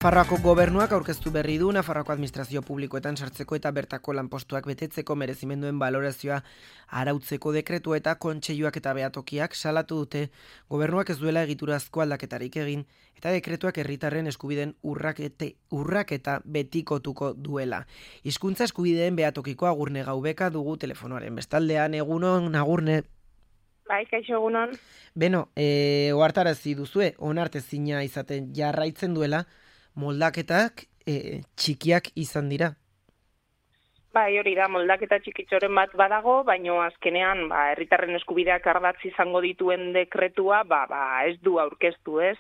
Nafarroako gobernuak aurkeztu berri du Nafarroako administrazio publikoetan sartzeko eta bertako lanpostuak betetzeko merezimenduen balorazioa arautzeko dekretua eta kontseiluak eta behatokiak salatu dute gobernuak ez duela egiturazko aldaketarik egin eta dekretuak herritarren eskubideen urraketa betikotuko duela. Hizkuntza eskubideen behatokiko Agurne Gaubeka dugu telefonoaren bestaldean. Egunon, Agurne. Bai, kaixo egunon. Beno, ohartarazi duzue, onartezina izaten jarraitzen duela, moldaketak txikiak izan dira. Bai, hori da, moldaketa txikitxoren bat badago, baino azkenean herritarren eskubideak ardatz izango dituen dekretua ez du aurkeztu, ez?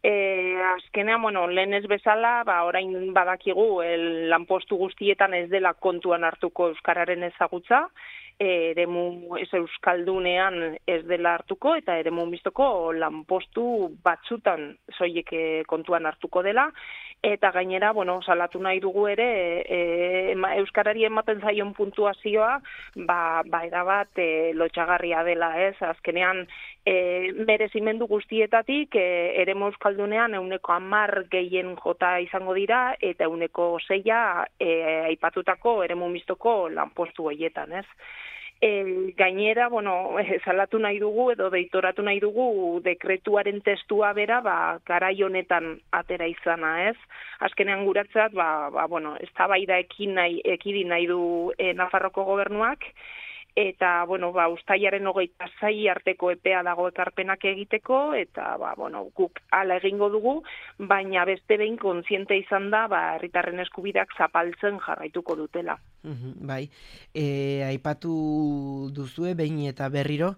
Azkenean, lehen ez bezala, orain badakigu lanpostu guztietan ez dela kontuan hartuko euskararen ezagutza, eremu ez euskaldunean ez dela hartuko eta eremu mistoko lanpostu batzutan soilik kontuan hartuko dela eta gainera, salatu nahi dugu ere euskarari ematen zaion puntuazioa erabat lotxagarria dela, ez? Azkenean merezimendu guztietatik eremu euskaldunean 10% gehien jota izango dira eta 6% aipatutako eremu mistoko lanpostu horietan, ez? Gainera, salatu nahi dugu edo deitoratu nahi dugu dekretuaren testua bera, garai honetan atera izana, ez? Azkenean guratzat, eztabaida ekidin nahi du Nafarroko gobernuak, eta, uztailaren 26 arteko epea dago ekarpenak egiteko, eta, guk hala egingo dugu, baina beste behin kontziente izan da, herritarren eskubideak zapaltzen jarraituko dutela. Bai, aipatu duzue behin eta berriro,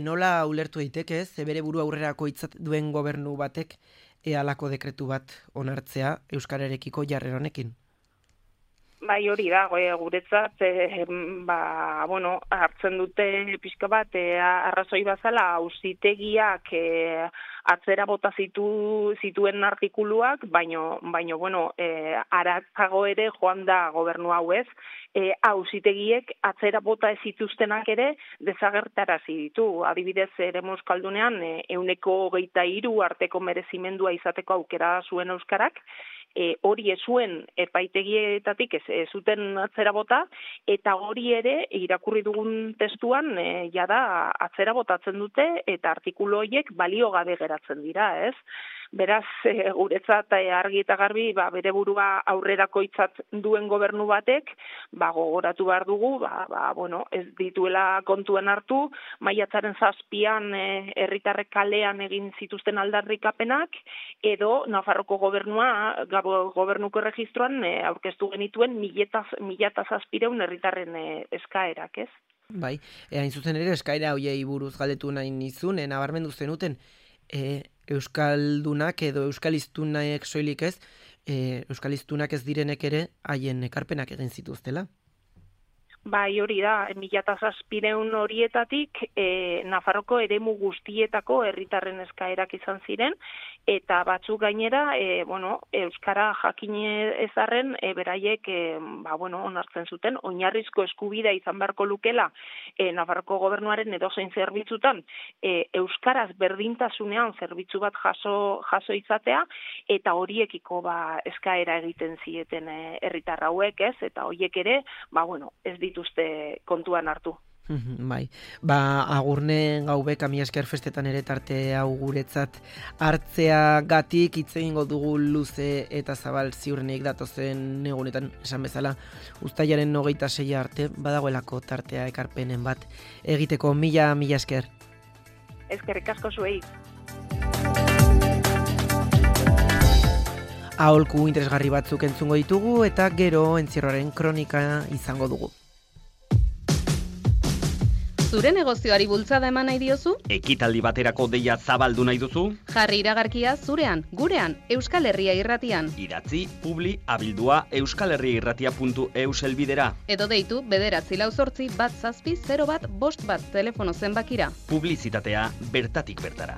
nola ulertu daiteke, bere buru aurrerako hitzat duen gobernu batek halako dekretu bat onartzea euskararekiko jarrera honekin? Bai, hori da, guretzat, hartzen dute pixka bat, arrazoi bazala, auzitegiak atzera bota zituen artikuluak, baino, aratzago ere joan da gobernu hau, ez, auzitegiek atzera bota ez zituztenak ere desagertarazi ditu. Adibidez, eremu euskaldunean, 23% arteko merezimendua izateko aukera zuen euskarak, hori ez zuen epaitegietatik ez zuten atzera bota, eta hori ere irakurri dugun testuan jada atzera botatzen dute eta artikulu horiek balio gabe geratzen dira, ez? Beraz, guretzat argi eta garbi, bere burua aurrerakoitzat duen gobernu batek, gogoratu behar dugu, ez dituela kontuen hartu, maiatzaren 7an herritarrek kalean egin zituzten aldarrikapenak, edo Nafarroko gobernua, gobernuko erregistroan aurkeztu genituen 1.700 herritarren eskaerak, ez? Bai, hain zuzen ere eskaera hoiei buruz galdetu nahi nizun, nabarmendu zenuten, euskaldunak edo euskaliztunak soilik ez, euskaliztunak ez direnek ere haien ekarpenak egin zituztela. Bai, hori da, 1.700 horietatik Nafarroko eremu guztietako herritarren eskaerak izan ziren, eta batzuk gainera, euskara jakin ezarren, beraiek, onartzen zuten, oinarrizko eskubidea izan beharko lukela Nafarroko gobernuaren edozein zerbitzutan, euskaraz berdintasunean zerbitzu bat jaso izatea, eta horiekiko eskaera egiten zieten herritar hauek, ez, eta horiek ere, ez dituzte kontuan hartu. Bai, Agurne Gaubeka mila esker festetan ere tarte hau guretzat hartzeagatik hitz egingo dugu luze eta zabal ziurrenik datozen egunetan esan bezala uztailaren 26 arte badagoelako tartea ekarpenen bat egiteko. Mila esker. Eskerrik asko zuei. Aholku interesgarri batzuk entzungo ditugu eta gero entzierroaren kronika izango dugu. Zure negozioari bultzada eman nahi diozu? Ekitaldi baterako deia zabaldu nahi duzu? Jarri iragarkia zurean, gurean, Euskal Herria Irratian. Idatzi, publi, abildua, euskalherriairratia.eus helbidera. Edo deitu, 944-001-51 telefono zenbakira. Publizitatea bertatik bertara.